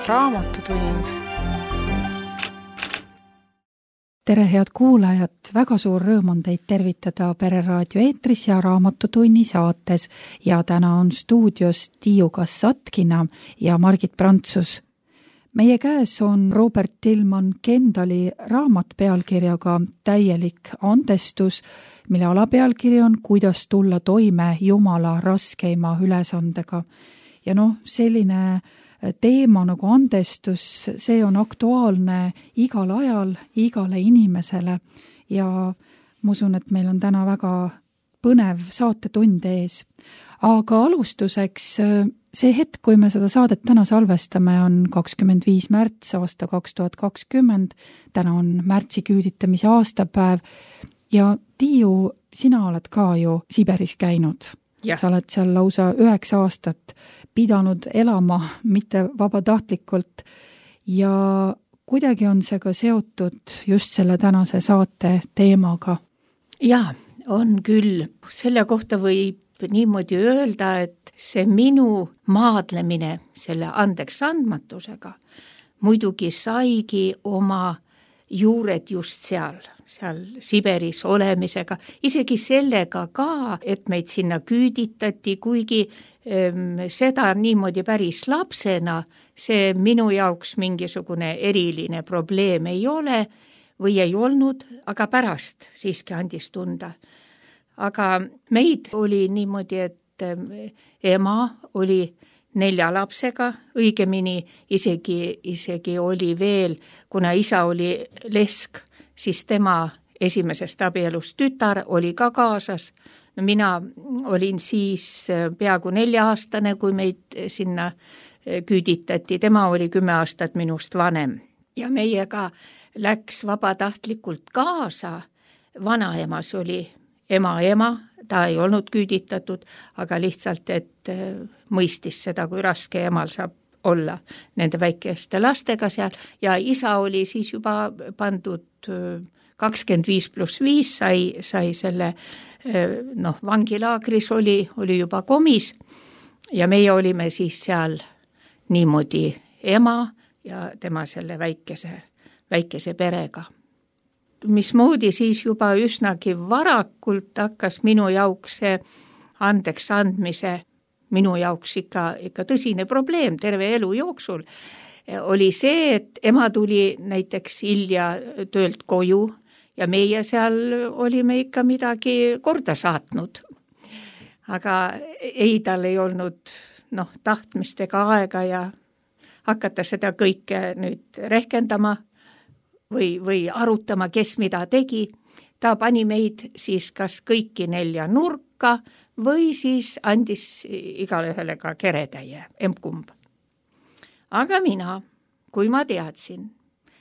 Raamatutund. Tere, head kuulajad! Väga suur rõõm on teid tervitada Pereraadio eetris ja Raamatutunni saates ja täna on stuudios Tiiu Kassatkina ja Margit Prantsus. Meie käes on Robert Tilman Kendali raamat pealkirjaga Täielik andestus, mille alapealkiri on Kuidas tulla toime Jumala raskeima ülesandega. Ja selline teema nagu andestus, see on aktuaalne igal ajal, igale inimesele ja ma usun, et meil on täna väga põnev saatetund ees. Aga alustuseks, see hetk, kui me seda saadet täna salvestame, on 25. märts aasta 2020. Täna on märtsi küüditamise aastapäev ja Tiiu, sina oled ka ju Siberis käinud. Ja. Sa oled seal lausa 9 aastat pidanud elama, mitte vabatahtlikult ja kuidagi on see ka seotud just selle tänase saate teemaga. Jaa, on küll. Selle kohta võib niimoodi öelda, et see minu maadlemine selle andeks andmatusega muidugi saigi oma juured just seal Siberis olemisega, isegi sellega ka, et meid sinna küüditati, kuigi seda niimoodi päris lapsena, see minu jaoks mingisugune eriline probleem ei ole või ei olnud, aga pärast siiski andis tunda. Aga meid oli niimoodi, et ema oli 4 lapsega, õigemini isegi oli veel, kuna isa oli lesk, siis tema esimesest abielust tütar oli ka kaasas. Mina olin siis peaaegu 4-aastane, kui meid sinna küüditati. Tema oli 10 aastat minust vanem. Ja meiega läks vabatahtlikult kaasa. Vanaemas oli ema, ta ei olnud küüditatud, aga lihtsalt, et mõistis seda, kui raske emal saab olla nende väikeste lastega seal ja isa oli siis juba pandud 25+5 sai selle vangilaagris oli juba komis ja meie olime siis seal niimoodi ema ja tema selle väikese perega. Mismoodi siis juba üsnagi varakult hakkas minu jaoks see andeks andmise minu jaoks ikka tõsine probleem terve elu jooksul, oli see, et ema tuli näiteks hilja töölt koju ja meie seal olime ikka midagi korda saatnud. Aga tal ei olnud tahtmist ega aega ja hakata seda kõike nüüd rehkendama või arutama, kes mida tegi. Ta pani meid siis kas kõiki 4 nurka või siis andis igale ühele ka keretäie, emkumb. Aga mina, kui ma teadsin,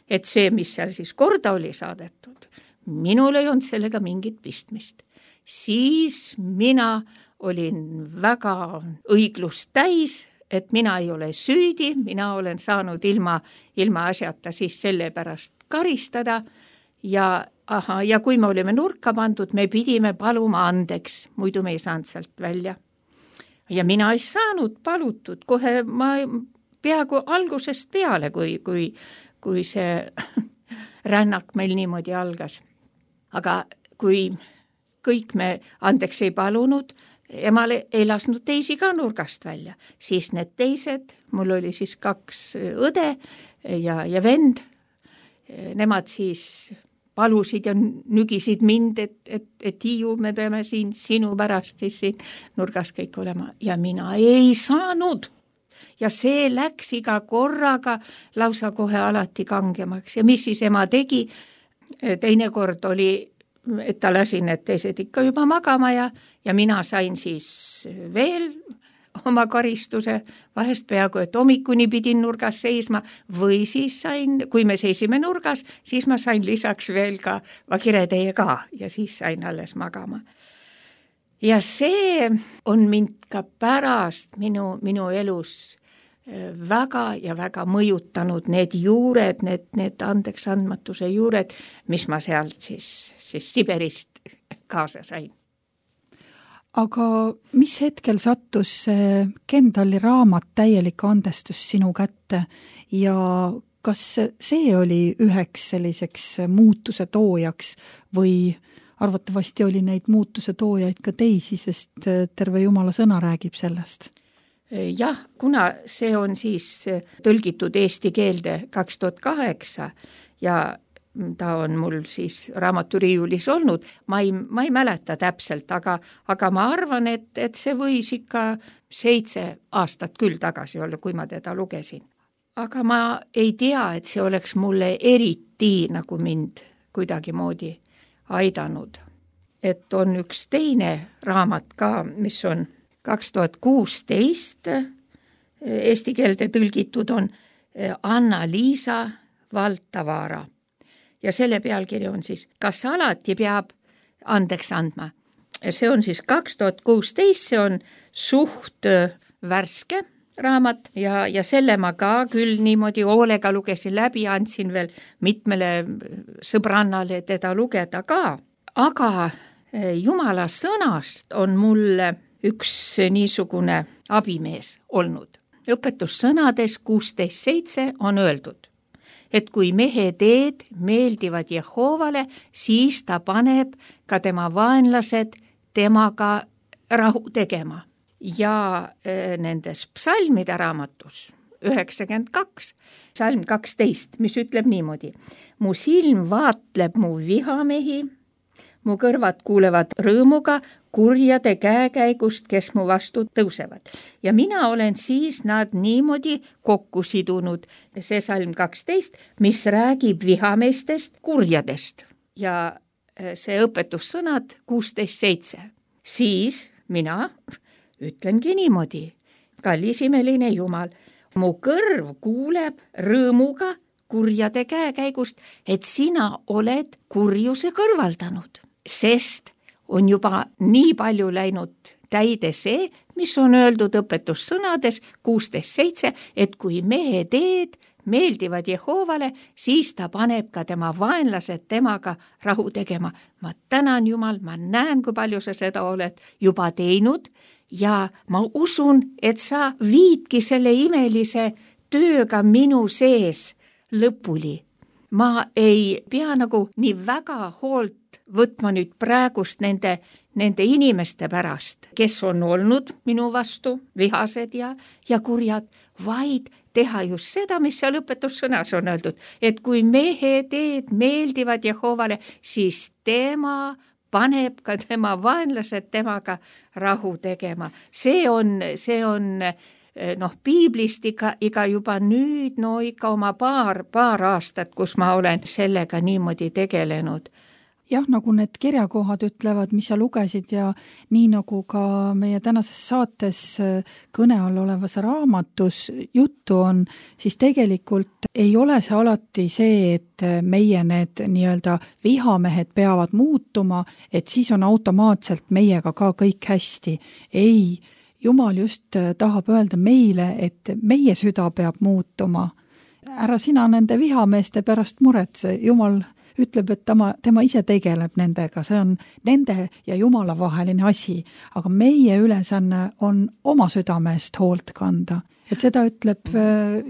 et see, mis seal siis korda oli saadetud, minul ei olnud sellega mingit pistmist, siis mina olin väga õiglust täis, et mina ei ole süüdi, mina olen saanud ilma asjata siis selle pärast karistada ja kui me olime nurka pandud, me pidime paluma andeks, muidu me ei saanud sealt välja. Ja mina ei saanud palutud, kohe ma peaaegu algusest peale, kui see rännak meil niimoodi algas. Aga kui kõik me andeks ei palunud, emale ei lasnud teisi ka nurgast välja, siis need teised, mul oli siis 2 õde ja vend, nemad siis palusid ja nügisid mind, et Tiiu, me peame siin sinu pärast siis siin nurgas kõik olema. Ja mina ei saanud. Ja see läks iga korraga lausa kohe alati kangemaks. Ja mis siis ema tegi? Teine kord oli, et ta lasi need teised ikka juba magama ja mina sain siis veel oma karistuse, vahest peaaegu, et hommikuni pidin nurgas seisma või siis sain, kui me seisime nurgas, siis ma sain lisaks veel ka vakireteie ka ja siis sain alles magama. Ja see on mind ka pärast minu elus väga ja väga mõjutanud need juured, need andeks andmatuse juured, mis ma sealt siis Siberist kaasa sain. aga mis hetkel sattus see Kendali raamat Täielik andestus sinu kätte ja kas see oli üheks selliseks muutuse toojaks või arvatavasti oli neid muutuse toojaid ka teisi, sest terve Jumala sõna räägib sellest? Jah, kuna see on siis tõlgitud eesti keelde 2008 ja ta on mul siis raamaturiiulis olnud, ma ei mäleta täpselt, aga ma arvan, et see võis ikka 7 aastat küll tagasi olla, kui ma teda lugesin. Aga ma ei tea, et see oleks mulle eriti nagu mind kuidagi moodi aidanud. Et on üks teine raamat ka, mis on 2016 eesti keelde tõlgitud, on Anna-Liisa Valtavaara. Ja selle pealkiri on siis, kas alati peab andeks andma? See on siis 2016, see on suht värske raamat ja selle ma ka küll niimoodi hoolega lugesin läbi, andsin veel mitmele sõbrannale teda lugeda ka. Aga Jumala sõnast on mulle üks niisugune abimees olnud. Õpetussõnades 16.7 on öeldud, et kui mehe teed meeldivad Jehoovale, siis ta paneb ka tema vaenlased temaga rahu tegema. Ja nendes psalmide raamatus 92, psalm 12, mis ütleb niimoodi, mu silm vaatleb mu vihamehi, mu kõrvad kuulevad rõõmuga kurjade käekäigust, kes mu vastu tõusevad. Ja mina olen siis nad niimoodi kokku sidunud, see psalm 12, mis räägib vihameestest kurjadest. Ja see õpetussõnad 16.7. Siis mina ütlengi niimoodi, kallis imeline Jumal, mu kõrv kuuleb rõõmuga kurjade käekäigust, et sina oled kurjuse kõrvaldanud, sest on juba nii palju läinud täide see, mis on öeldud õpetussõnades 16.7, et kui mehe teed meeldivad Jehoovale, siis ta paneb ka tema vaenlased temaga rahu tegema. Ma tänan Jumal, ma näen, kui palju sa seda oled juba teinud ja ma usun, et sa viidki selle imelise tööga minu sees lõpuni. Ma ei pea nagu nii väga hoolt võtma nüüd praegust nende inimeste pärast, kes on olnud minu vastu vihased ja kurjad, vaid teha just seda, mis seal õpetussõnas on öeldud, et kui mehe teed meeldivad Jehoovale, siis tema paneb ka tema vaenlased temaga rahu tegema. See on piiblist iga juba nüüd, ikka oma paar aastat, kus ma olen sellega niimoodi tegelenud. Jah, nagu need kirjakohad ütlevad, mis sa lugesid ja nii nagu ka meie tänases saates kõne all olevas raamatus juttu on, siis tegelikult ei ole see alati see, et meie need nii-öelda vihamehed peavad muutuma, et siis on automaatselt meiega ka kõik hästi. Ei, Jumal just tahab öelda meile, et meie süda peab muutuma. Ära sina nende vihameeste pärast muretse, Jumal ütleb, et tema ise tegeleb nendega, see on nende ja Jumala vaheline asi, aga meie ülesanne on oma südame eest hoolt kanda. Et seda ütleb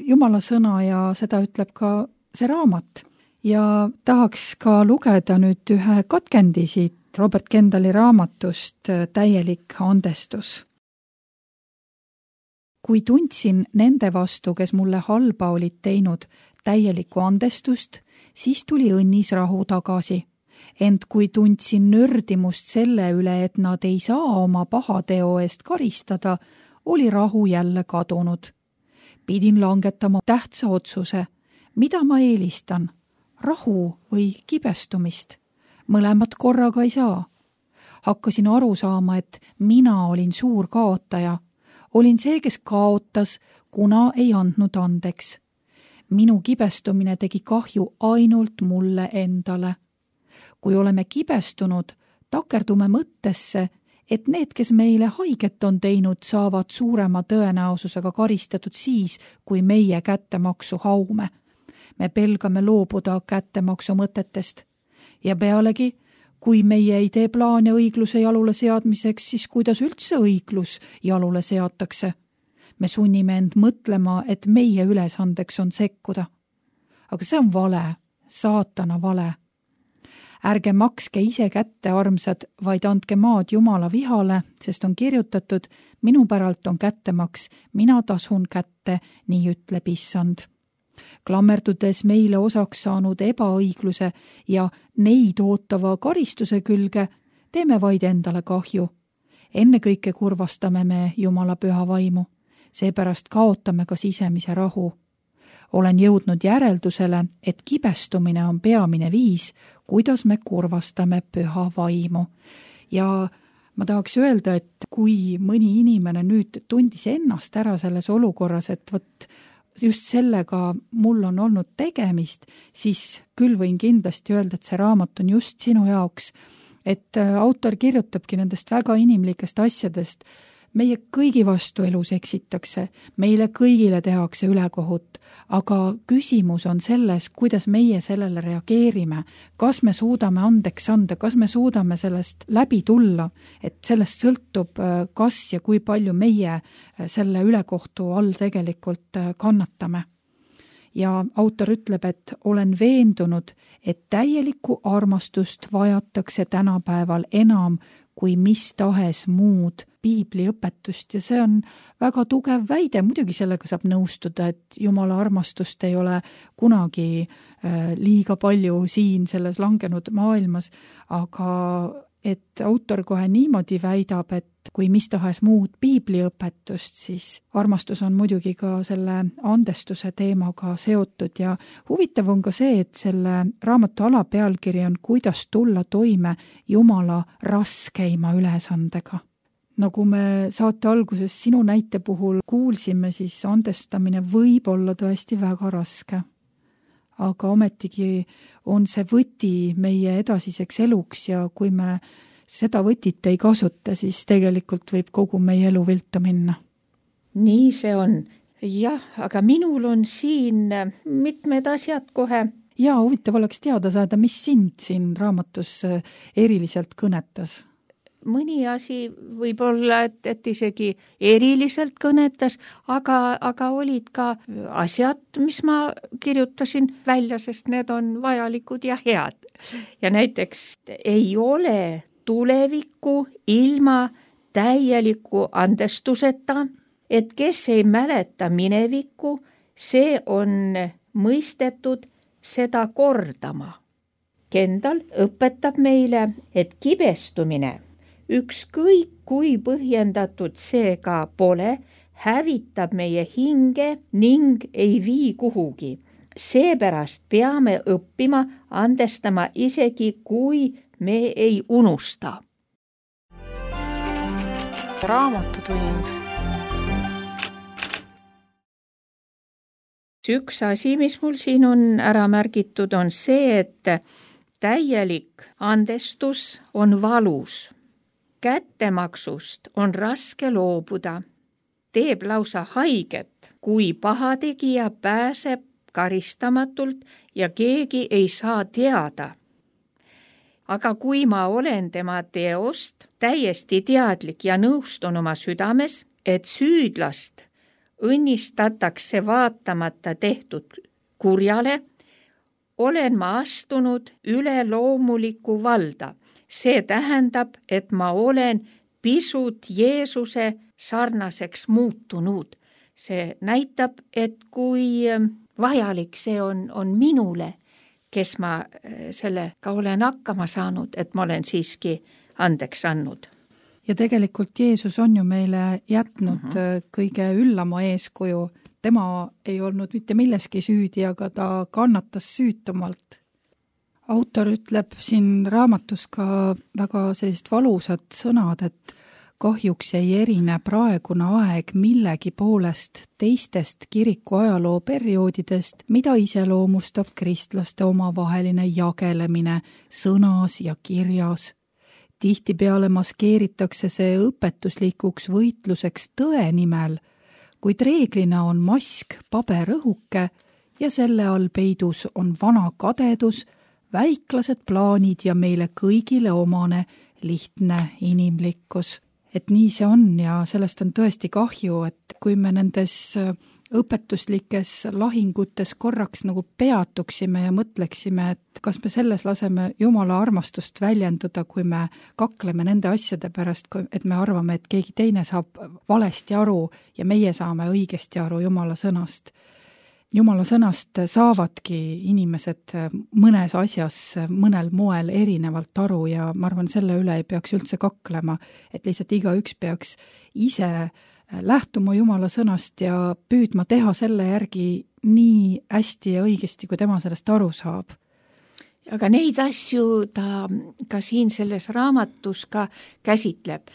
Jumala sõna ja seda ütleb ka see raamat. Ja tahaks ka lugeda nüüd ühe katkendi siit Robert Kendali raamatust Täielik andestus. Kui tundsin nende vastu, kes mulle halba olid teinud, täielikku andestust, siis tuli õnnis rahu tagasi. Ent kui tundsin nördimust selle üle, et nad ei saa oma pahateo eest karistada, oli rahu jälle kadunud. Pidin langetama tähtsa otsuse, mida ma eelistan, rahu või kibestumist. Mõlemat korraga ei saa. Hakkasin aru saama, et mina olin suur kaotaja. Olin see, kes kaotas, kuna ei andnud andeks. Minu kibestumine tegi kahju ainult mulle endale. Kui oleme kibestunud, takerdume mõttesse, et need, kes meile haiget on teinud, saavad suurema tõenäosusega karistatud siis, kui meie kättemaksu haume. Me pelgame loobuda kättemaksu mõtetest. Ja pealegi, kui meie ei tee plaane õigluse jalule seadmiseks, siis kuidas üldse õiglus jalule seatakse? Me sunnime end mõtlema, et meie ülesandeks on sekkuda. Aga see on vale, saatana vale. Ärge makske ise kätte, armsad, vaid andke maad Jumala vihale, sest on kirjutatud, minu päralt on kättemaks, mina tasun kätte, nii ütleb Issand. Klammerdudes meile osaks saanud ebaõigluse ja neid ootava karistuse külge, teeme vaid endale kahju. Ennekõike kurvastame me Jumala püha vaimu, seepärast kaotame ka sisemise rahu. Olen jõudnud järeldusele, et kibestumine on peamine viis, kuidas me kurvastame püha vaimu. Ja ma tahaks öelda, et kui mõni inimene nüüd tundis ennast ära selles olukorras, et võt just sellega mul on olnud tegemist, siis küll võin kindlasti öelda, et see raamat on just sinu jaoks. Et autor kirjutabki nendest väga inimlikest asjadest. Meie kõigi vastu elus eksitakse, meile kõigile tehakse ülekohut, aga küsimus on selles, kuidas meie sellele reageerime, kas me suudame andeks anda, kas me suudame sellest läbi tulla, et sellest sõltub, kas ja kui palju meie selle ülekohtu all tegelikult kannatame. Ja autor ütleb, et olen veendunud, et täielikku armastust vajatakse tänapäeval enam kui mis tahes muud piibliõpetust ja see on väga tugev väide. Muidugi sellega saab nõustuda, et Jumala armastust ei ole kunagi liiga palju siin selles langenud maailmas, aga et autor kohe niimoodi väidab, et kui mis tahes muud piibliõpetust, siis armastus on muidugi ka selle andestuse teemaga seotud ja huvitav on ka see, et selle raamatu alapealkiri on kuidas tulla toime Jumala raskeima ülesandega. Nagu me saate alguses sinu näite puhul kuulsime, siis andestamine võib olla tõesti väga raske. Aga ometigi on see võti meie edasiseks eluks ja kui me seda võtit ei kasuta, siis tegelikult võib kogu meie elu viltu minna. Nii see on. Jah, aga minul on siin mitmed asjad kohe. Ja huvitav oleks teada saada, mis sind siin raamatus eriliselt kõnetas. Mõni asi võib olla, et isegi eriliselt kõnetas, aga olid ka asjad, mis ma kirjutasin välja, sest need on vajalikud ja head. Ja näiteks ei ole tulevikku ilma täieliku andestuseta, et kes ei mäleta minevikku, see on mõistetud seda kordama. Kendall õpetab meile, et kibestumine ükskõik kui põhjendatud see ka pole, hävitab meie hinge ning ei vii kuhugi. Seepärast peame õppima andestama isegi, kui me ei unusta. Raamatutund. Üks asi, mis mul siin on ära märgitud, on see, et täielik andestus on valus. Kättemaksust on raske loobuda, teeb lausa haiget, kui pahategija pääseb karistamatult ja keegi ei saa teada. Aga kui ma olen tema teost täiesti teadlik ja nõustun oma südames, et süüdlast õnnistatakse vaatamata tehtud kurjale, olen ma astunud üle loomuliku valda. See tähendab, et ma olen pisut Jeesuse sarnaseks muutunud. See näitab, et kui vajalik see on minule, kes ma sellega olen hakkama saanud, et ma olen siiski andeks andnud. Ja tegelikult Jeesus on ju meile jätnud kõige üllama eeskuju. Tema ei olnud mitte milleski süüdi, aga ta kannatas süütumalt. Autor ütleb siin raamatus ka väga sellised valusad sõnad, et kahjuks ei erine praegune aeg millegi poolest teistest kiriku ajaloo perioodidest, mida iseloomustab kristlaste omavaheline jagelemine sõnas ja kirjas. Tihtipeale maskeeritakse see õpetuslikuks võitluseks tõe nimel, kuid reeglina on mask paberõhuke ja selle all peidus on vana kadedus, väiklased plaanid ja meile kõigile omane lihtne inimlikkus. Et nii see on ja sellest on tõesti kahju, et kui me nendes õpetuslikes lahingutes korraks nagu peatuksime ja mõtleksime, et kas me selles laseme Jumala armastust väljenduda, kui me kakleme nende asjade pärast, et me arvame, et keegi teine saab valesti aru ja meie saame õigesti aru Jumala sõnast. Jumala sõnast saavadki inimesed mõnes asjas mõnel moel erinevalt aru ja ma arvan, selle üle ei peaks üldse kaklema, et lihtsalt igaüks peaks ise lähtuma Jumala sõnast ja püüdma teha selle järgi nii hästi ja õigesti, kui tema sellest aru saab. Aga neid asju ta ka siin selles raamatus ka käsitleb.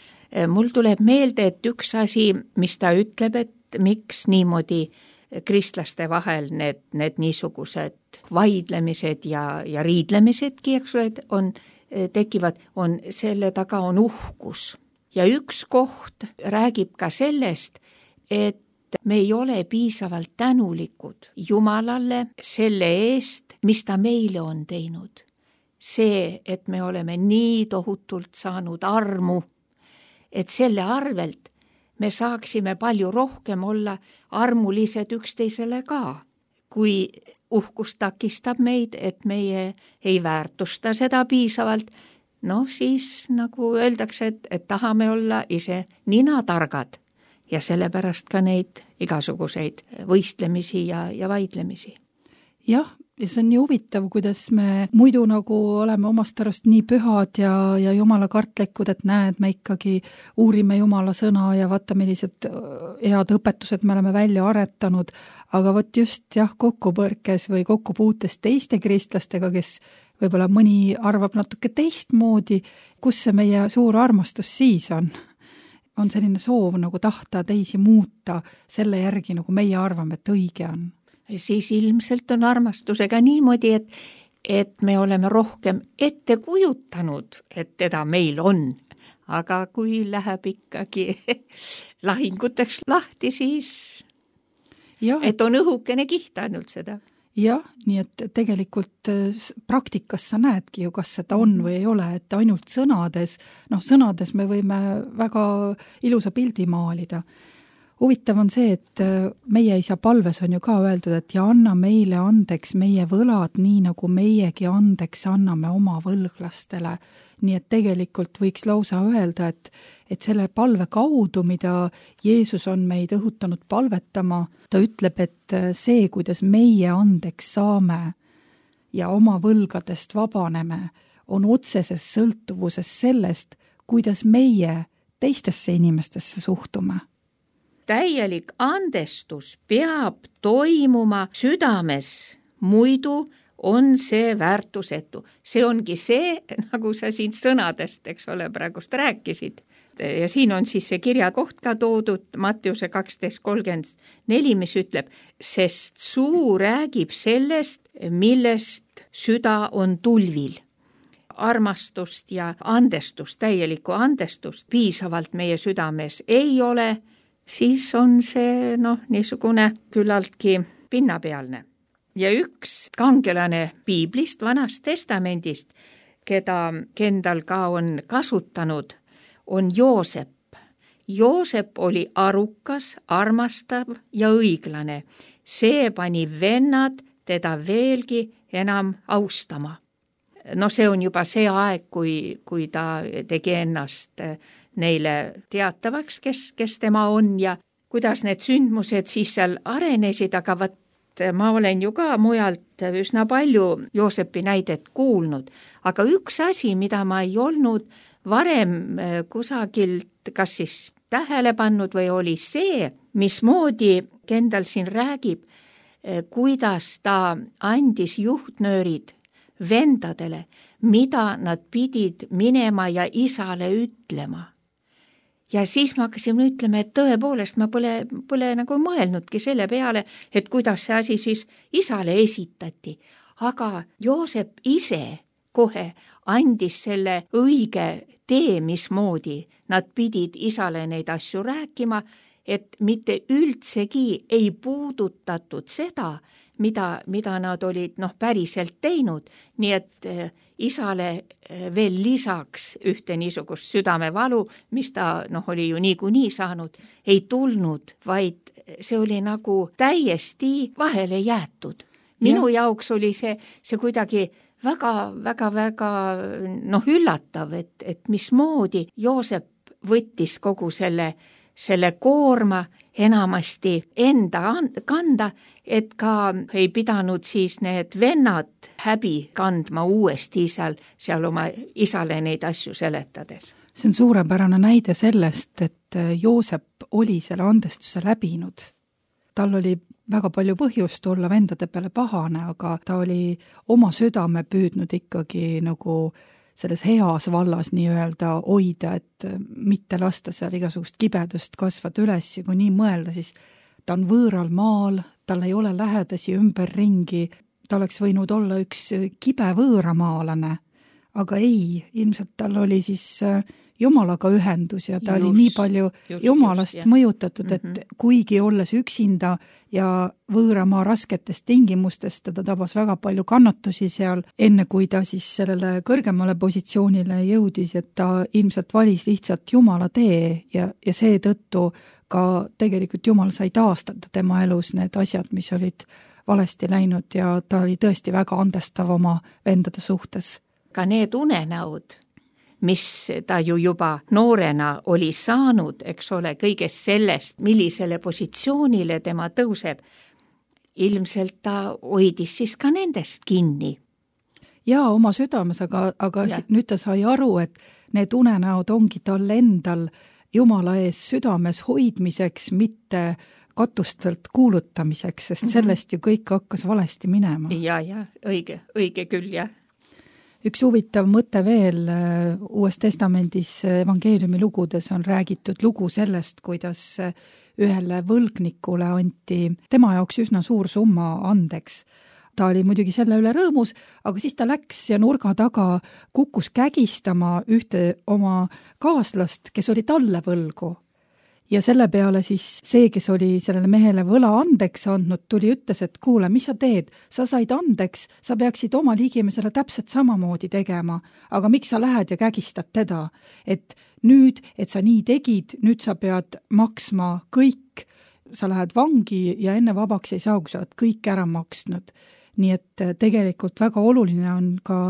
Mul tuleb meelde, et üks asi, mis ta ütleb, et miks niimoodi kristlaste vahel need niisugused vaidlemised ja riidlemisedki, eks ole, tekivad, selle taga on uhkus. Ja üks koht räägib ka sellest, et me ei ole piisavalt tänulikud Jumalale selle eest, mis ta meile on teinud. See, et me oleme nii tohutult saanud armu, et selle arvelt me saaksime palju rohkem olla armulised üksteisele ka. Kui uhkus takistab meid, et meie ei väärtusta seda piisavalt, siis nagu öeldakse, et tahame olla ise ninatargad ja sellepärast ka neid igasuguseid võistlemisi ja vaidlemisi. Jah, ja see on nii huvitav, kuidas me muidu nagu oleme omast arust nii pühad ja Jumala kartlikud, et näed, me ikkagi uurime Jumala sõna ja vaata, millised head õpetused me oleme välja aretanud, aga vot just kokkupõrkes või kokkupuutes teiste kristlastega, kes võib-olla mõni arvab natuke teistmoodi, kus see meie suur armastus siis on? On selline soov nagu tahta teisi muuta selle järgi, nagu meie arvame, et õige on. Siis ilmselt on armastusega niimoodi, et me oleme rohkem ette kujutanud, et teda meil on. Aga kui läheb ikkagi lahinguteks lahti, siis et on õhukene kiht ainult seda. Jah, nii et tegelikult praktikas sa näedki ju, kas seda on või ei ole, et ainult sõnades me võime väga ilusa pildi maalida. Huvitav on see, et meie isa palves on ju ka öeldud, et ja anna meile andeks meie võlad, nii nagu meiegi andeks anname oma võlglastele. Nii et tegelikult võiks lausa öelda, et selle palve kaudu, mida Jeesus on meid õhutanud palvetama, ta ütleb, et see, kuidas meie andeks saame ja oma võlgadest vabaneme, on otseses sõltuvuses sellest, kuidas meie teistesse inimestesse suhtume. Täielik andestus peab toimuma südames, muidu on see väärtusetu. See ongi see, nagu sa siin sõnadest, eks ole, praegust rääkisid. Ja siin on siis see kirjakoht ka toodud Mattiuse 12:34, mis ütleb, sest suu räägib sellest, millest süda on tulvil. Armastust ja andestust, täielikku andestust piisavalt meie südames ei ole, siis on see niisugune küllaltki pinnapealne. Ja üks kangelane Piiblist, Vanast Testamendist, keda Kendall ka on kasutanud, on Joosep. Joosep oli arukas, armastav ja õiglane. See pani vennad teda veelgi enam austama. See on juba see aeg, kui ta tegi ennast neile teatavaks, kes tema on ja kuidas need sündmused siis seal arenesid, aga ma olen ju ka mujalt üsna palju Joosepi näidet kuulnud, aga üks asi, mida ma ei olnud varem kusagilt kas siis tähele pannud või oli see, mismoodi Kendall siin räägib, kuidas ta andis juhtnöörid vendadele, mida nad pidid minema ja isale ütlema. Ja siis ma hakkasin ütlema, et tõepoolest ma pole nagu mõelnudki selle peale, et kuidas see asi siis isale esitati. Aga Joosep ise kohe andis selle õige tee, mismoodi nad pidid isale neid asju rääkima, et mitte üldsegi ei puudutatud seda, mida nad olid päriselt teinud, nii et isale veel lisaks ühte niisugust südamevalu, mis ta oli ju niikuinii saanud, ei tulnud, vaid see oli nagu täiesti vahele jäetud. Minu jaoks oli see kuidagi väga üllatav, et mismoodi Joosep võttis kogu selle koorma enamasti enda kanda, et ka ei pidanud siis need vennad häbi kandma uuesti seal oma isale neid asju seletades. See on suurepärane näide sellest, et Joosep oli selle andestuse läbinud. Tal oli väga palju põhjust olla vendade peale pahane, aga ta oli oma südame püüdnud ikkagi nagu selles heas vallas nii-öelda hoida, et mitte lasta seal igasugust kibedust kasvada üles ja kui nii mõelda, siis ta on võõral maal, tal ei ole lähedasi ümberringi, ta oleks võinud olla üks kibe võõramaalane, aga ei, ilmselt tal oli siis Jumalaga ühendus ja ta oli nii palju Jumalast mõjutatud, et kuigi olles üksinda ja võõramaa rasketest tingimustest, ta tabas väga palju kannatusi seal, enne kui ta siis sellele kõrgemale positsioonile jõudis, et ta ilmselt valis lihtsalt Jumala tee ja seetõttu ka tegelikult Jumal sai taastada tema elus need asjad, mis olid valesti läinud ja ta oli tõesti väga andestav oma vendade suhtes. Ka need unenäod, mis ta ju juba noorena oli saanud, eks ole, kõigest sellest, millisele positsioonile tema tõuseb, ilmselt ta hoidis siis ka nendest kinni. Jaa, oma südames, aga nüüd ta sai aru, et need unenäod ongi tal endal Jumala ees südames hoidmiseks, mitte katustelt kuulutamiseks, sest sellest ju kõik hakkas valesti minema. Ja, õige küll, jah. Üks huvitav mõte veel, Uues Testamendis evangeeliumi lugudes on räägitud lugu sellest, kuidas ühele võlgnikule anti tema jaoks üsna suur summa andeks. Ta oli muidugi selle üle rõõmus, aga siis ta läks ja nurga taga kukkus kägistama ühte oma kaaslast, kes oli talle võlgu. Ja selle peale siis see, kes oli sellele mehele võla andeks andnud, tuli ütles, et kuule, mis sa teed? Sa said andeks, sa peaksid oma liigimesele täpselt samamoodi tegema, aga miks sa lähed ja kägistad teda? Et nüüd, et sa nii tegid, nüüd sa pead maksma kõik, sa lähed vangi ja enne vabaks ei saa, kui sa oled kõik ära maksnud. Nii et tegelikult väga oluline on ka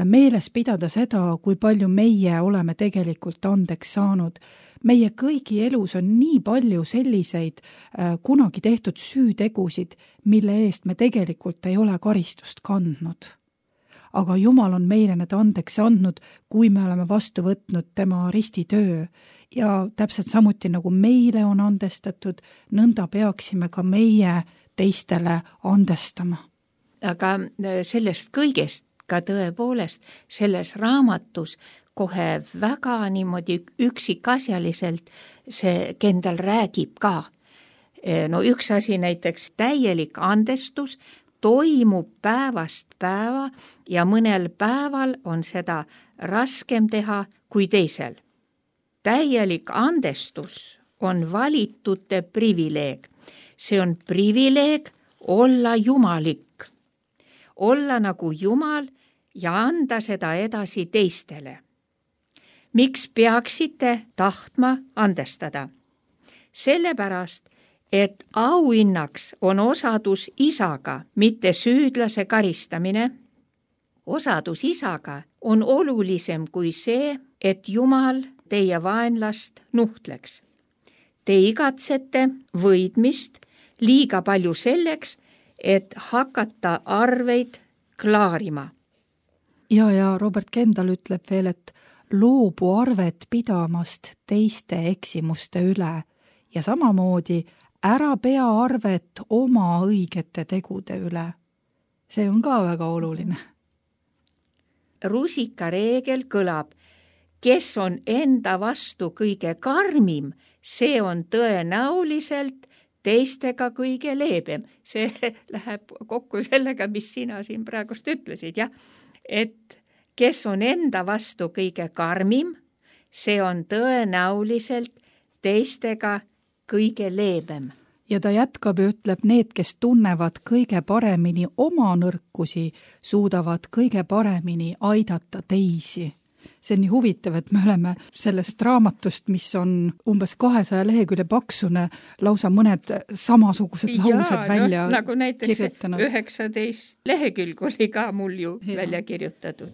meeles pidada seda, kui palju meie oleme tegelikult andeks saanud. Meie kõigi elus on nii palju selliseid kunagi tehtud süütegusid, mille eest me tegelikult ei ole karistust kandnud. Aga Jumal on meile need andeks andnud, kui me oleme vastu võtnud tema ristitöö. Ja täpselt samuti nagu meile on andestatud, nõnda peaksime ka meie teistele andestama. Aga sellest kõigest ka tõepoolest selles raamatus kohe väga niimoodi üksikasjaliselt see Kendall räägib ka. No üks asi näiteks täielik andestus toimub päevast päeva ja mõnel päeval on seda raskem teha kui teisel. Täielik andestus on valitute privileeg. See on privileeg olla jumalik. Olla nagu Jumal ja anda seda edasi teistele. Miks peaksite tahtma andestada? Sellepärast, et auhinnaks on osadus isaga, mitte süüdlase karistamine. Osadus isaga on olulisem kui see, et Jumal teie vaenlast nuhtleks. Te igatsete võidmist liiga palju selleks, et hakata arveid klaarima. Ja Robert Kendall ütleb veel, et loobu arvet pidamast teiste eksimuste üle ja samamoodi ära pea arvet oma õigete tegude üle. See on ka väga oluline. Rusika reegel kõlab, kes on enda vastu kõige karmim, see on tõenäoliselt teistega kõige leebem. See läheb kokku sellega, mis sina siin praegust ütlesid, jah? Et kes on enda vastu kõige karmim, see on tõenäoliselt teistega kõige leebem. ja ta jätkab ja ütleb, need, kes tunnevad kõige paremini oma nõrkusi, suudavad kõige paremini aidata teisi. See on nii huvitav, et me oleme sellest raamatust, mis on umbes 200 lehekülje paksune, lausa mõned samasugused laused välja nagu näiteks kirjutanud. 19 lehekülg oli ka mul ju välja kirjutatud.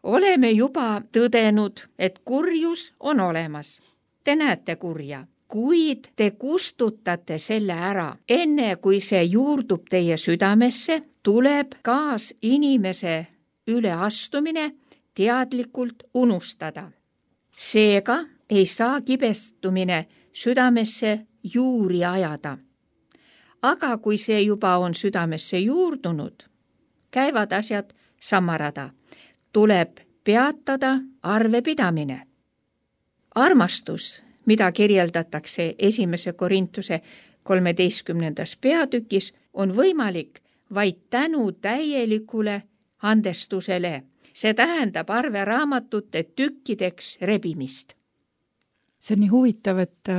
Oleme juba tõdenud, et kurjus on olemas. Te näete kurja, kuid te kustutate selle ära. Enne kui see juurdub teie südamesse, tuleb kaas inimese üleastumine teadlikult unustada. Seega ei saa kibestumine südamesse juuri ajada. Aga kui see juba on südamesse juurdunud, käivad asjad samarada. Tuleb peatada arvepidamine. Armastus, mida kirjeldatakse 1. Korintuse 13. peatükis, on võimalik vaid tänu täielikule andestusele. See tähendab arveraamatute tükkideks rebimist. See on nii huvitav, et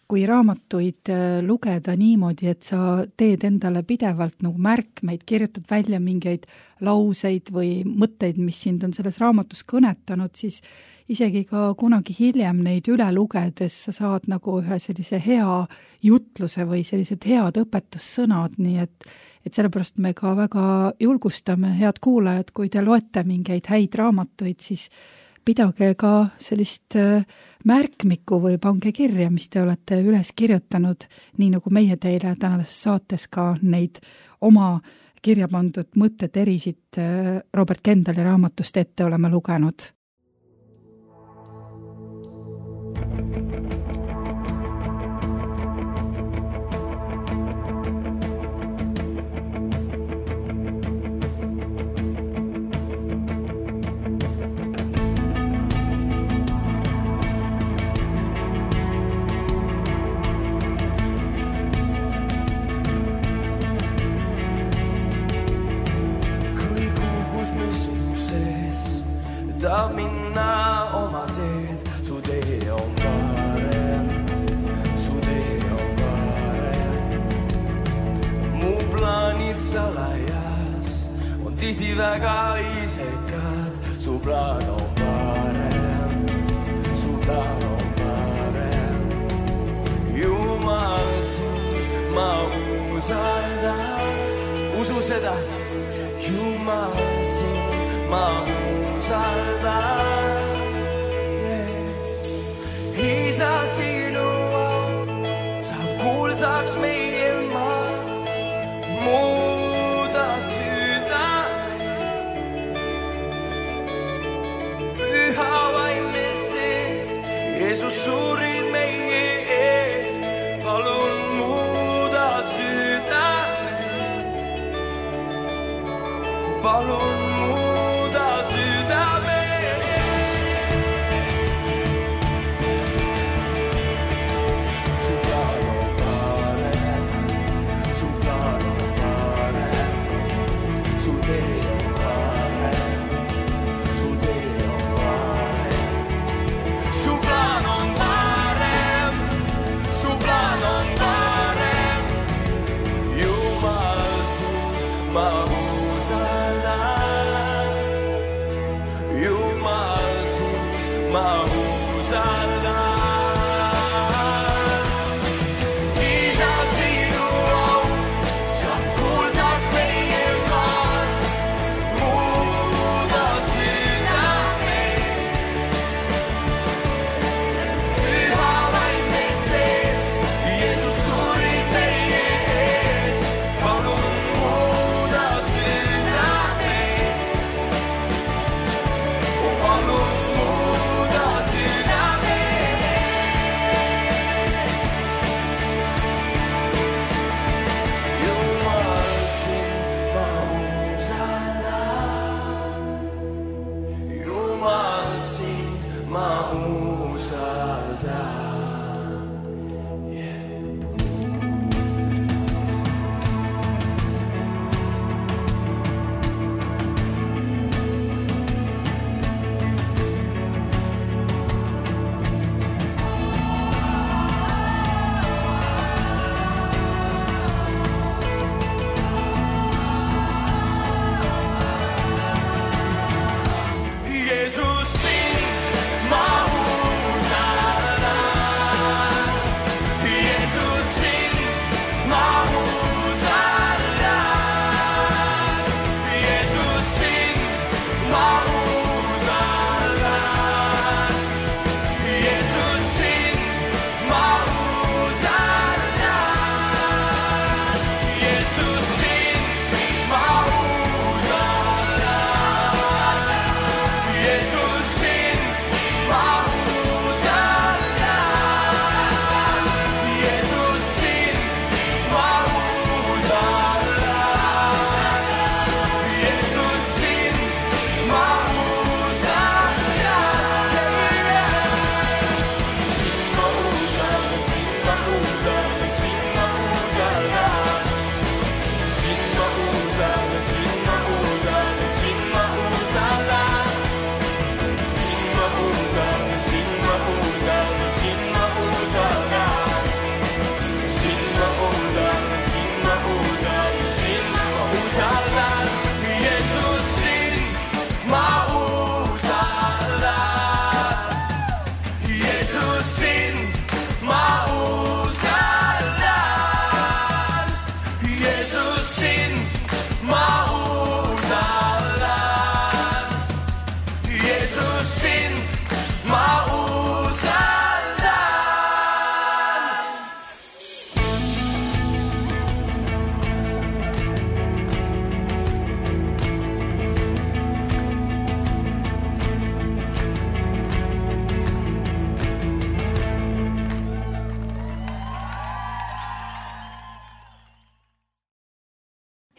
kui raamatuid lugeda niimoodi, et sa teed endale pidevalt nagu märkmeid, kirjutad välja mingeid lauseid või mõtteid, mis sind on selles raamatus kõnetanud, siis isegi ka kunagi hiljem neid üle lugedes sa saad nagu ühe sellise hea jutluse või sellised head õpetussõnad, nii et sellepärast me ka väga julgustame, head kuulajad, kui te loete mingeid häid raamatuid, siis pidage ka sellist märkmikku või pange kirja, mis te olete üles kirjutanud, nii nagu meie teile tänases saates ka neid oma kirja pandud mõtted erisid Robert Kendali raamatust ette oleme lugenud. Tahab minna oma teed, su tee on parem, su tee on parem. Mu plaanid salajas on tihti väga isekad, su plaan on parem, su plaan on parem. Jumal sind ma usaldan, usu seda, Jumal sind ma usaldan. Isa sinu saab kuulsaks meie maa, muuda südame. Püha vaime sees, Jeesus surid meie eest, palun muuda südame. Palun muuda südame. Ma usaldan.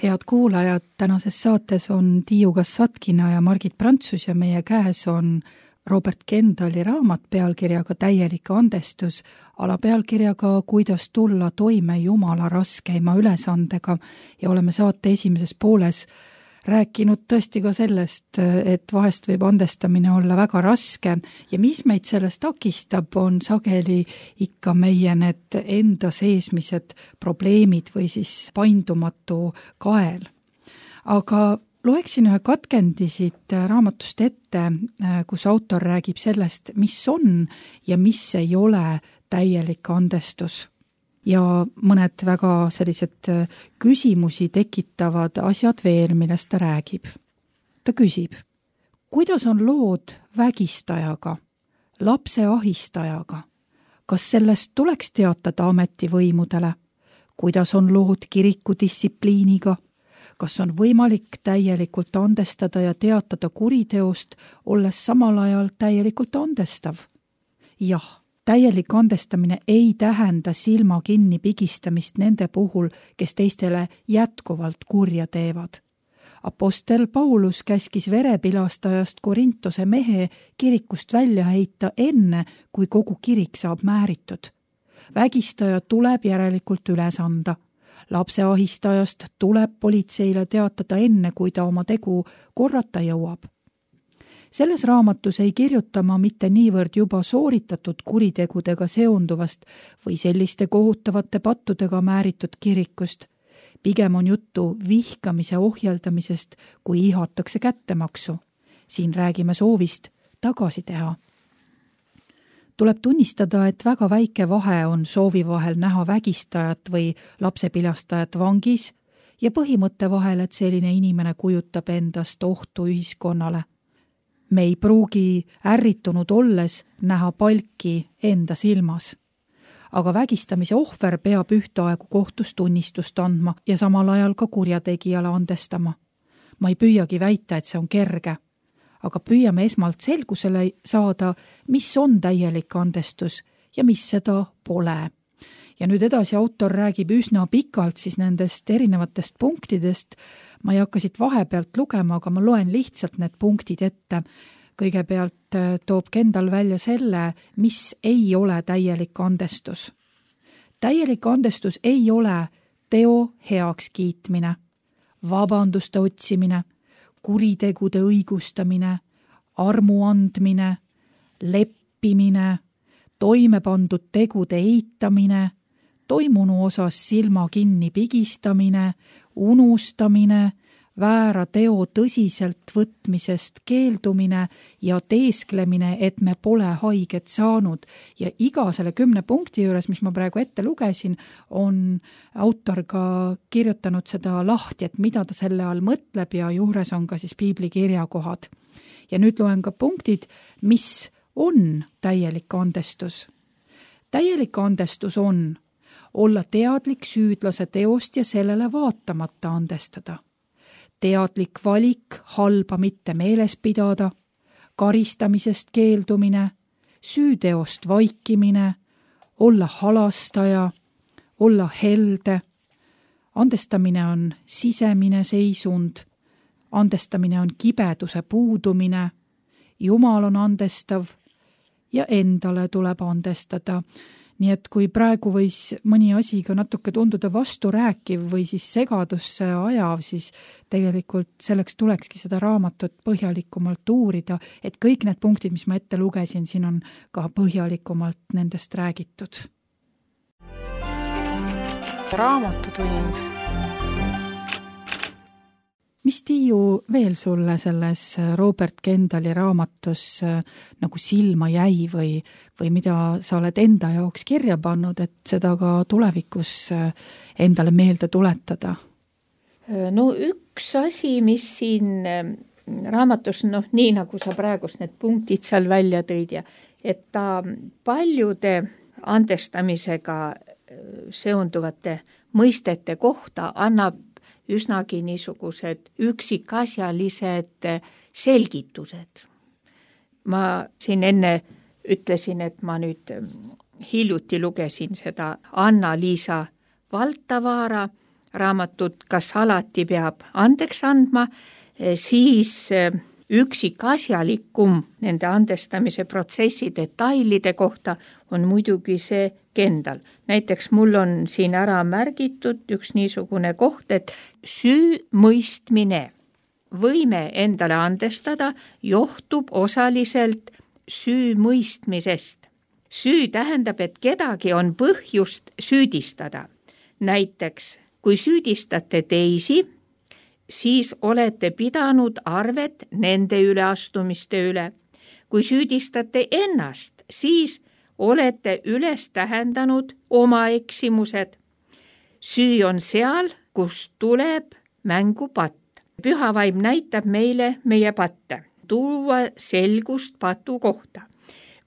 Head kuulajad, tänases saates on Tiiu Kassatkina ja Margit Prantsus ja meie käes on Robert Kendali raamat pealkirjaga Täielik andestus, alapealkirjaga Kuidas tulla toime Jumala raskeima ülesandega ja oleme saate esimeses pooles rääkinud tõesti ka sellest, et vahest võib andestamine olla väga raske ja mis meid sellest takistab, on sageli ikka meie need enda seesmised probleemid või siis paindumatu kael. Aga loeksin ühe katkendi siit raamatust ette, kus autor räägib sellest, mis on ja mis ei ole täielik andestus. Ja mõned väga sellised küsimusi tekitavad asjad veel, millest ta räägib. Ta küsib, kuidas on lood vägistajaga, lapse ahistajaga? Kas sellest tuleks teatada ametivõimudele? Kuidas on lood kirikudistsipliiniga? Kas on võimalik täielikult andestada ja teatada kuriteost, olles samal ajal täielikult andestav? Jah. Täielik andestamine ei tähenda silma kinni pigistamist nende puhul, kes teistele jätkuvalt kurja teevad. Apostel Paulus käskis verepilastajast Korintose mehe kirikust välja heita enne, kui kogu kirik saab määritud. Vägistaja tuleb järelikult üles anda. Lapse ahistajast tuleb politseile teatada enne, kui ta oma tegu korrata jõuab. Selles raamatus ei kirjuta ma mitte niivõrd juba sooritatud kuritegudega seonduvast või selliste kohutavate pattudega määritud kirikust. Pigem on juttu vihkamise ohjeldamisest, kui ihatakse kättemaksu. Siin räägime soovist tagasi teha. Tuleb tunnistada, et väga väike vahe on soovi vahel näha vägistajat või lapsepilastajat vangis ja põhimõtte vahel, et selline inimene kujutab endast ohtu ühiskonnale. Me ei pruugi ärritunud olles näha palki enda silmas. Aga vägistamise ohver peab ühtaegu kohtus tunnistust andma ja samal ajal ka kurjategijale andestama. Ma ei püüagi väita, et see on kerge, aga püüame esmalt selgusele saada, mis on täielik andestus ja mis seda pole. Ja nüüd edasi autor räägib üsna pikalt siis nendest erinevatest punktidest. Ma ei hakka siit vahepealt lugema, aga ma loen lihtsalt need punktid ette. Kõigepealt toob Kendal välja selle, mis ei ole täielik andestus. Täielik andestus ei ole teo heaks kiitmine, vabanduste otsimine, kuritegude õigustamine, armu andmine, leppimine, toime pandud tegude eitamine, toimunu osas silma kinni pigistamine, unustamine, väära teo tõsiselt võtmisest keeldumine ja teesklemine, et me pole haiget saanud. Ja iga selle 10 punkti juures, mis ma praegu ette lugesin, on autor ka kirjutanud seda lahti, et mida ta selle all mõtleb ja juures on ka siis piibli kirjakohad. Ja nüüd loen ka punktid, mis on täielik andestus. Täielik andestus on olla teadlik süüdlase teost ja sellele vaatamata andestada. Teadlik valik halba mitte meeles pidada, karistamisest keeldumine, süüteost vaikimine, olla halastaja, olla helde. Andestamine on sisemine seisund, andestamine on kibeduse puudumine, Jumal on andestav ja endale tuleb andestada. Nii et kui praegu võis mõni asi ka natuke tunduda vasturääkiv või siis segadusse ajav, siis tegelikult selleks tulekski seda raamatut põhjalikumalt uurida, et kõik need punktid, mis ma ette lugesin, siin on ka põhjalikumalt nendest räägitud. Raamatutund. Mis Tiiu veel sulle selles Robert Kendali raamatus nagu silma jäi või mida sa oled enda jaoks kirja pannud, et seda ka tulevikus endale meelde tuletada? No üks asi, mis siin raamatus, nii nagu sa praegust need punktid seal välja tõid, et ta paljude andestamisega seonduvate mõistete kohta annab üsnagi niisugused üksikasjalised selgitused. Ma siin enne ütlesin, et ma nüüd hiljuti lugesin seda Anna-Liisa Valtavaara raamatut Kas alati peab andeks andma, siis üksikasjalikum nende andestamise protsessi detailide kohta on muidugi see Kendal. Näiteks mul on siin ära märgitud üks niisugune koht, et süü mõistmine, võime endale andestada, johtub osaliselt süü mõistmisest. Süü tähendab, et kedagi on põhjust süüdistada. Näiteks, kui süüdistate teisi, siis olete pidanud arvet nende üleastumiste üle. Kui süüdistate ennast, siis olete üles tähendanud oma eksimused. Süü on seal, kus tuleb mängu patt. Püha vaim näitab meile meie patte, tuua selgust patu kohta.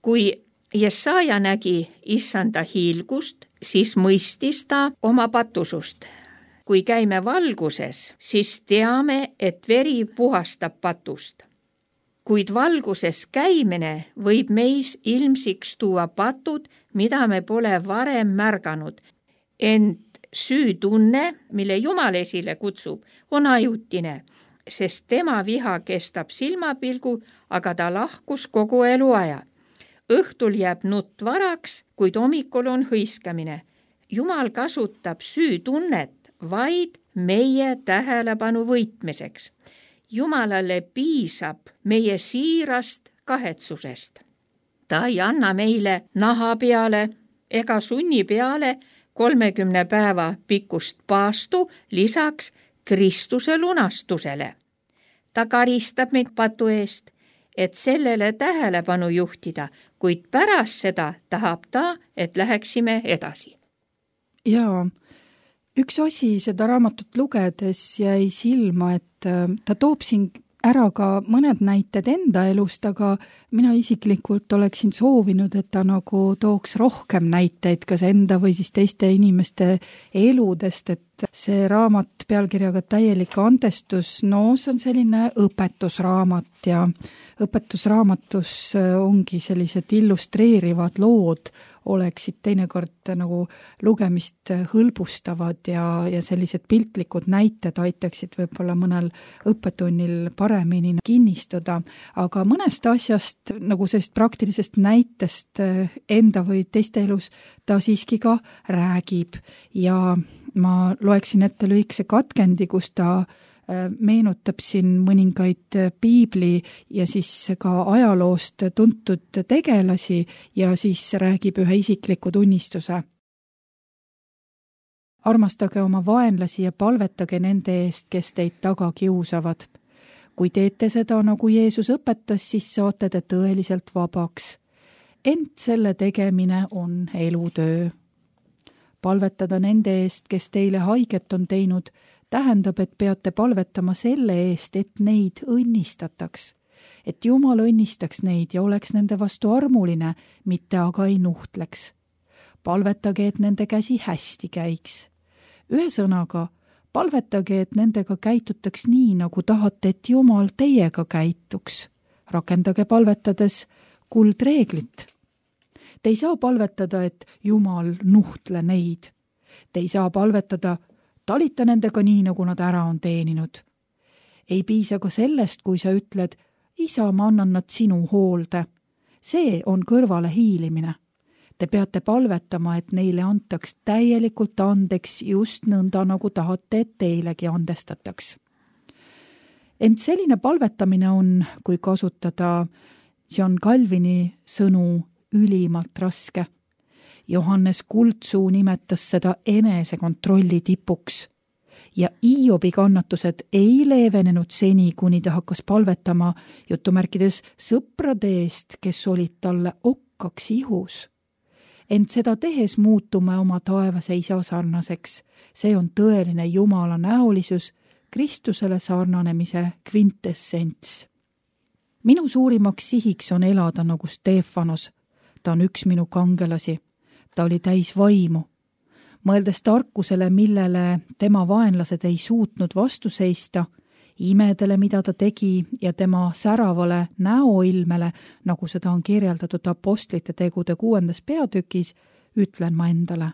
Kui Jesaja nägi issanda hiilgust, siis mõistis ta oma patusust. Kui käime valguses, siis teame, et veri puhastab patust. Kuid valguses käimine võib meis ilmsiks tuua patud, mida me pole varem märganud. Ent süütunne, mille Jumal esile kutsub, on ajutine, sest tema viha kestab silmapilgu, aga ta lahkus kogu eluaja. Õhtul jääb nutt varaks, kuid hommikul on hõiskamine. Jumal kasutab süütunnet vaid meie tähelepanu võitmiseks. Jumalale piisab meie siirast kahetsusest. Ta ei anna meile naha peale ega sunni peale 30 päeva pikkust paastu lisaks Kristuse lunastusele. Ta karistab meid patu eest, et sellele tähelepanu juhtida, kuid pärast seda tahab ta, et läheksime edasi. Jaa, üks asi seda raamatut lugedes jäi silma, et ta toob siin ära ka mõned näited enda elust, aga mina isiklikult oleksin soovinud, et ta nagu tooks rohkem näiteid kas enda või siis teiste inimeste eludest, et see raamat pealkirjaga Täielik andestus, no see on selline õpetusraamat ja õpetusraamatus ongi sellised illustreerivad lood, oleksid teinekord nagu lugemist hõlbustavad ja sellised piltlikud näited aitaksid võib-olla mõnel õppetunnil paremini kinnistuda, aga mõnest asjast nagu sellist praktilisest näitest enda või teiste elus ta siiski ka räägib ja ma loeksin ette lühikese katkendi, kus ta meenutab siin mõningaid piibli ja siis ka ajaloost tuntud tegelasi ja siis räägib ühe isikliku tunnistuse. Armastage oma vaenlasi ja palvetage nende eest, kes teid taga kiusavad. Kui teete seda, nagu Jeesus õpetas, siis saate te tõeliselt vabaks. Ent selle tegemine on elutöö. Palvetada nende eest, kes teile haiget on teinud, tähendab, et peate palvetama selle eest, et neid õnnistataks. Et Jumal õnnistaks neid ja oleks nende vastu armuline, mitte aga ei nuhtleks. Palvetage, et nende käsi hästi käiks. Ühesõnaga, palvetage, et nendega käitutaks nii, nagu tahate, et Jumal teiega käituks. Rakendage palvetades kuldreeglit. Te ei saa palvetada, et Jumal nuhtle neid. Te ei saa palvetada, talita nendega nii, nagu nad ära on teeninud. Ei piisa ka sellest, kui sa ütled, isa, ma annan nad sinu hoolde. See on kõrvale hiilimine. Te peate palvetama, et neile antaks täielikult andeks just nõnda, nagu tahate, et teilegi andestataks. Ent selline palvetamine on, kui kasutada John Calvini sõnu, ülimalt raske. Johannes Kuldsuu nimetas seda enesekontrolli tipuks ja Iobi kannatused ei leevenenud seni, kuni ta hakkas palvetama jutumärkides sõprade eest, kes olid talle okkaks ihus. Ent seda tehes muutume oma taevase isa sarnaseks. See on tõeline Jumala näolisus, Kristusele sarnanemise kvintessents. Minu suurimaks sihiks on elada nagu Stefanos. Ta on üks minu kangelasi. Ta oli täis vaimu. Mõeldes tarkusele, millele tema vaenlased ei suutnud vastu seista, imedele, mida ta tegi ja tema säravale näoilmele, nagu seda on kirjeldatud apostlite tegude 6. peatükis, ütlen ma endale.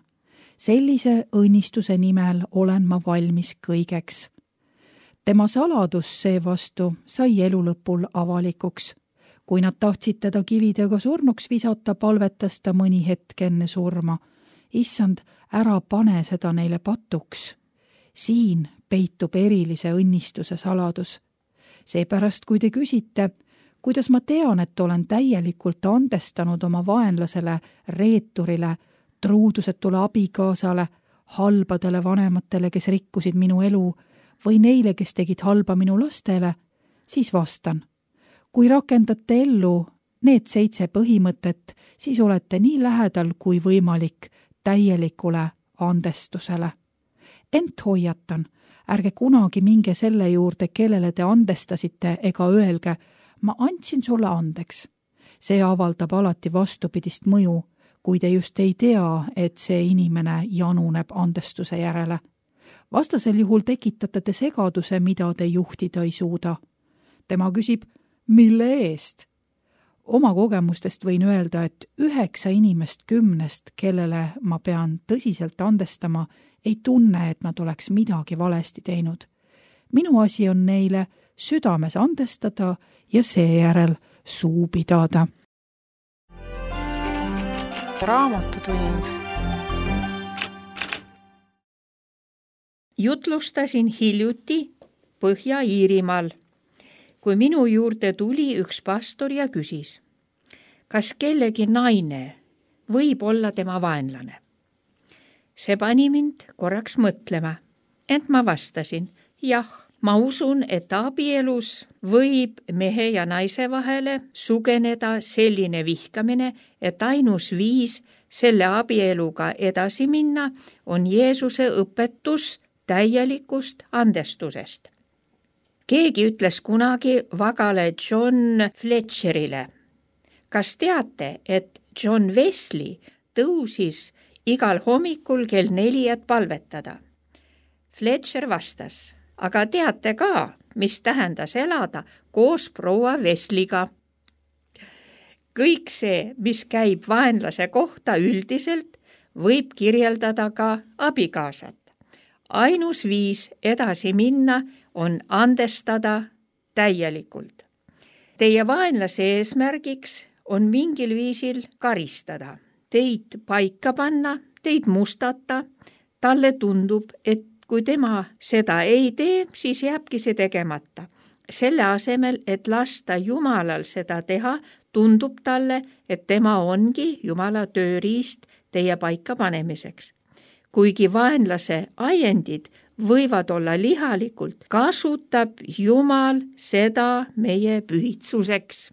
sellise õnnistuse nimel olen ma valmis kõigeks. Tema saladus seevastu sai elu lõpul avalikuks. Kui nad tahtsid teda kividega surnuks visata, palvetas ta mõni hetk enne surma. Issand, ära pane seda neile patuks. Siin peitub erilise õnnistuse saladus. Seepärast, kui te küsite, kuidas ma tean, et olen täielikult andestanud oma vaenlasele, reeturile, truudusetule abikaasale, halbadele vanematele, kes rikkusid minu elu, või neile, kes tegid halba minu lastele, siis vastan. Kui rakendate ellu need 7 põhimõtet, siis olete nii lähedal kui võimalik täielikule andestusele. Ent hoiatan, ärge kunagi minge selle juurde, kellele te andestasite, ega öelge, ma andsin sulle andeks. See avaldab alati vastupidist mõju, kui te just ei tea, et see inimene januneb andestuse järele. Vastasel juhul tekitate te segaduse, mida te juhtida ei suuda. Tema küsib, mille eest? Oma kogemustest võin öelda, et 9 inimest 10, kellele ma pean tõsiselt andestama, ei tunne, et nad oleks midagi valesti teinud. Minu asi on neile südames andestada ja seejärel suu pidada. Raamatutund. Jutlustasin hiljuti Põhja-Iirimaal, kui minu juurde tuli üks pastor ja küsis, kas kellegi naine võib olla tema vaenlane. See pani mind korraks mõtlema, ent ma vastasin, jah, ma usun, et abielus võib mehe ja naise vahele sugeneda selline vihkamine, et ainus viis selle abieluga edasi minna on Jeesuse õpetus täielikust andestusest. Keegi ütles kunagi vagale John Fletcherile, kas teate, et John Wesley tõusis igal hommikul kell 4, et palvetada? Fletcher vastas, aga teate ka, mis tähendas elada koos proua Wesleyga. Kõik see, mis käib vaenlase kohta üldiselt, võib kirjeldada ka abikaasat. Ainus viis edasi minna on andestada täielikult. Teie vaenlase eesmärgiks on mingil viisil karistada, teid paika panna, teid mustata. Talle tundub, et kui tema seda ei tee, siis jääbki see tegemata. Selle asemel, et lasta Jumalal seda teha, tundub talle, et tema ongi Jumala tööriist teie paika panemiseks. Kuigi vaenlase ajendid võivad olla lihalikult, kasutab Jumal seda meie pühitsuseks.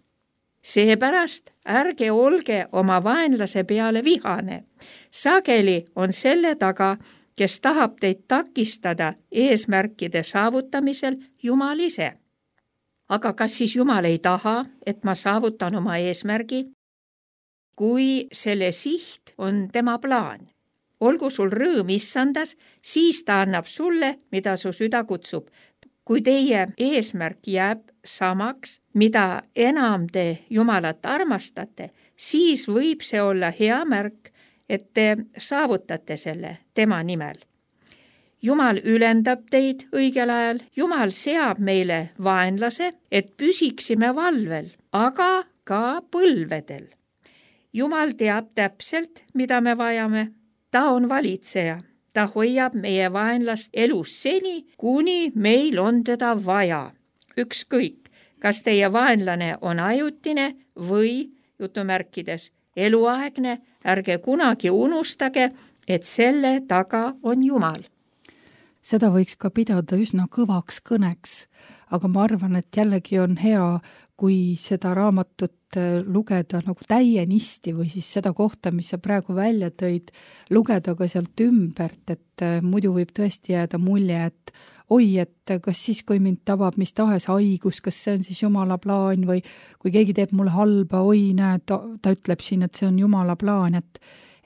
Seepärast ärge olge oma vaenlase peale vihane. Sageli on selle taga, kes tahab teid takistada eesmärkide saavutamisel, Jumal ise. Aga kas siis Jumal ei taha, et ma saavutan oma eesmärgi? Kui selle siht on tema plaan, olgu sul rõõm issandas, siis ta annab sulle, mida su süda kutsub. Kui teie eesmärk jääb samaks, mida enam te Jumalat armastate, siis võib see olla hea märk, et te saavutate selle tema nimel. Jumal ülendab teid õigel ajal, Jumal seab meile vaenlase, et püsiksime valvel, aga ka põlvedel. Jumal teab täpselt, mida me vajame. Ta on valitseja. Ta hoiab meie vaenlast elus seni, kuni meil on teda vaja. Ükskõik, kas teie vaenlane on ajutine või, jutumärkides, eluaegne, ärge kunagi unustage, et selle taga on Jumal. Seda võiks ka pidada üsna kõvaks kõneks, aga ma arvan, et jällegi on hea, kui seda raamatut lugeda nagu täienisti või siis seda kohta, mis sa praegu välja tõid, lugeda ka sealt ümbert, et muidu võib tõesti jääda mulje, et oi, et kas siis, kui mind tabab mis tahes haigus, kas see on siis Jumala plaan või kui keegi teeb mulle halba, oi, näed, ta ütleb siin, et see on Jumala plaan,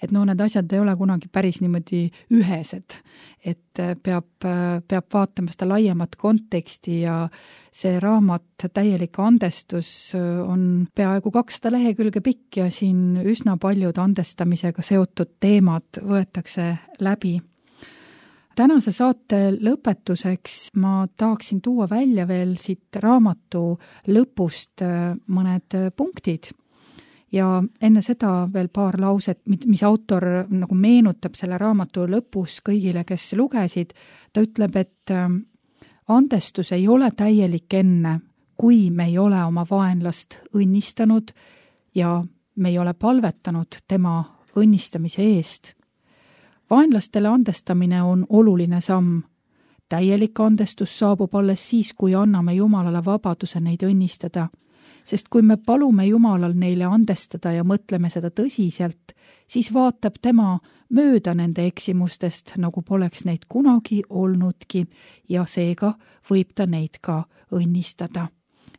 et need asjad ei ole kunagi päris niimoodi ühesed, et peab vaatama seda laiemat konteksti ja see raamat Täielik andestus on peaaegu 200 lehekülge pikk ja siin üsna paljud andestamisega seotud teemad võetakse läbi. Tänase saate lõpetuseks ma tahaksin tuua välja veel siit raamatu lõpust mõned punktid ja enne seda veel paar lauset, mis autor nagu meenutab selle raamatu lõpus kõigile, kes lugesid. Ta ütleb, et andestus ei ole täielik enne, kui me ei ole oma vaenlast õnnistanud ja me ei ole palvetanud tema õnnistamise eest. Vaenlastele andestamine on oluline samm. Täielik andestus saabub alles siis, kui anname Jumalale vabaduse neid õnnistada. Sest kui me palume Jumalal neile andestada ja mõtleme seda tõsiselt, siis vaatab tema mööda nende eksimustest, nagu poleks neid kunagi olnudki ja seega võib ta neid ka õnnistada.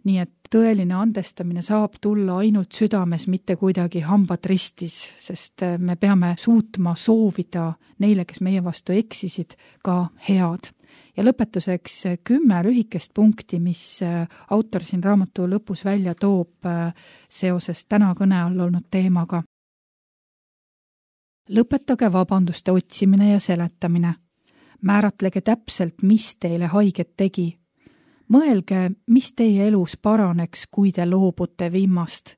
Nii et tõeline andestamine saab tulla ainult südames, mitte kuidagi hambad ristis, sest me peame suutma soovida neile, kes meie vastu eksisid, ka head. Ja lõpetuseks 10 lühikest punkti, mis autor siin raamatu lõpus välja toob seoses täna kõne all olnud teemaga. Lõpetage vabanduste otsimine ja seletamine. Määratlege täpselt, mis teile haiget tegi. Mõelge, mis teie elus paraneks, kui te loobute viimast.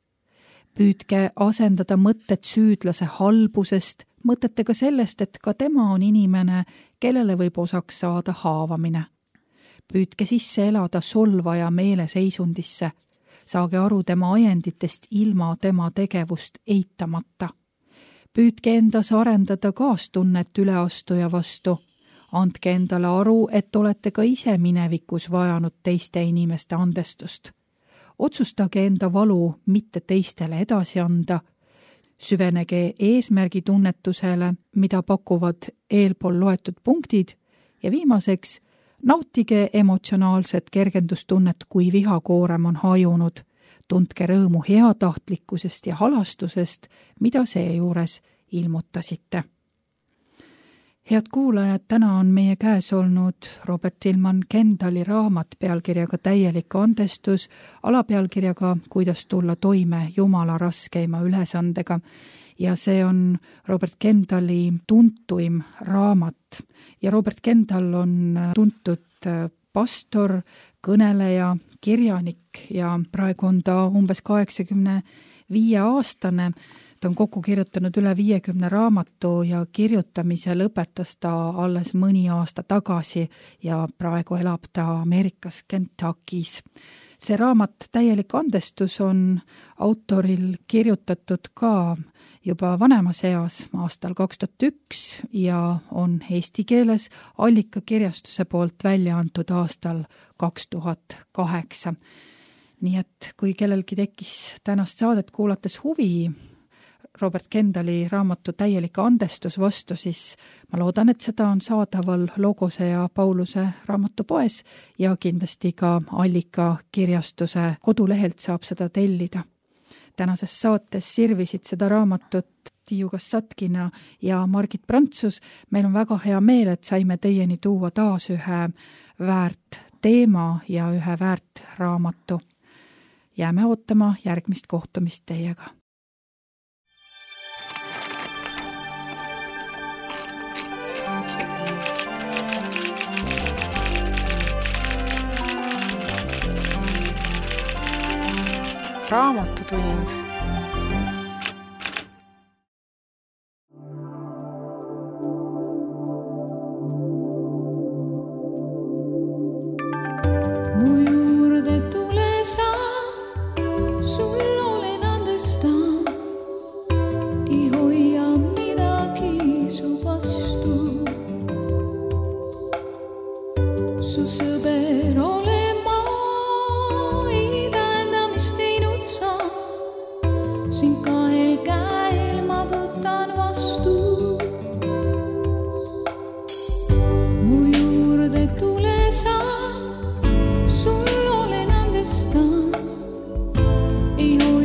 Püüdke asendada mõtted süüdlase halbusest, mõtetega sellest, et ka tema on inimene, kellele võib osaks saada haavamine. Püüdke sisse elada solvaja meeleseisundisse. Saage aru tema ajenditest ilma tema tegevust eitamata. Püüdke endas arendada kaastunnet üleastuja vastu. Andke endale aru, et olete ka ise minevikus vajanud teiste inimeste andestust. Otsustage enda valu mitte teistele edasi anda. Süvenege eesmärgi tunnetusele, mida pakuvad eelpool loetud punktid ja viimaseks nautige emotsionaalset kergendustunnet, kui vihakoorem on hajunud. Tundke rõõmu heatahtlikkusest ja halastusest, mida seejuures ilmutasite. Head kuulajad, täna on meie käes olnud Robert Tilman Kendali raamat pealkirjaga Täielik andestus, alapealkirjaga Kuidas tulla toime Jumala raskeima ülesandega. Ja see on Robert Kendali tuntuim raamat. Ja Robert Kendal on tuntud pastor, kõneleja, kirjanik ja praegu on ta umbes 85-aastane. Ta on kokku kirjutanud üle 50 raamatu ja kirjutamise lõpetas ta alles mõni aasta tagasi ja praegu elab ta Ameerikas Kentuckys. See raamat Täielik andestus on autoril kirjutatud ka juba vanemas eas aastal 2001 ja on eesti keeles Allikakirjastuse poolt välja antud aastal 2008. Nii et kui kellelgi tekkis tänast saadet kuulates huvi Robert Kendali raamatu Täielik andestus vastu, siis ma loodan, et seda on saadaval Logose ja Pauluse raamatupoes ja kindlasti ka Allikakirjastuse kodulehelt saab seda tellida. Tänases saates sirvisid seda raamatut Tiiu Kassatkina ja Margit Prantsus. Meil on väga hea meel, et saime teieni tuua taas ühe väärt teema ja ühe väärt raamatu. Jääme ootama järgmist kohtumist teiega. Raamatutund. Mu juurde tule sa, sul olen andestan, ei hoia midagi su vastu. Su sõber olen ma, ei tähenda, mis teinud sa. Sind kahel käel ma võtan vastu. Mu juurde tule sa, sul olen andestan, ei hoia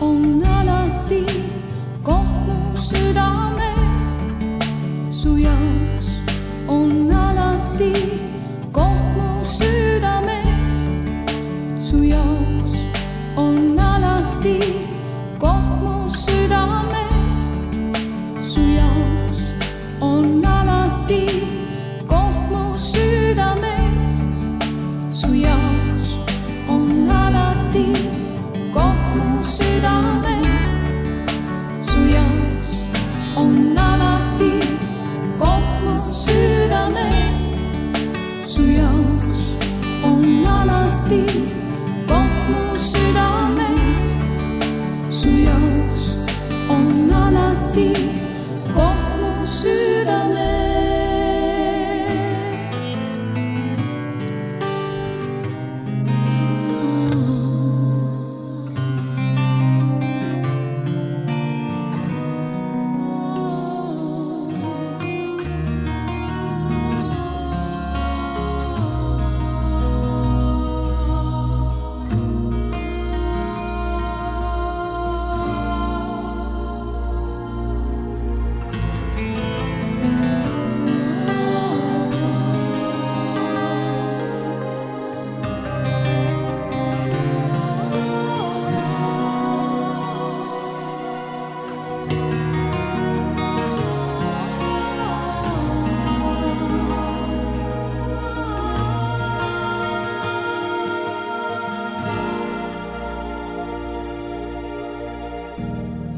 on alati koht mu südames. Su jaoks on alati koht mu südames. Su jaoks on alati koht mu südames. Su jaoks on alati koht mu südames. Su jaoks on alati koht mu südames. Su jaoks on alati koht mu südames. Su jaoks on alati koht mu südames. Su jaoks on alati koht mu südames.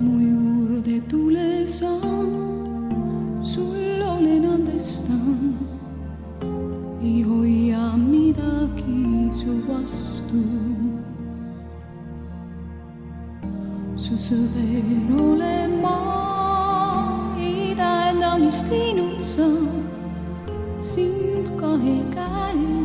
Mu juurde tule sa, sul olen andestan, ei hoia midagi su vastu. Su sõber olen ma, ei tähenda, mis teinud sa, sind kahel käel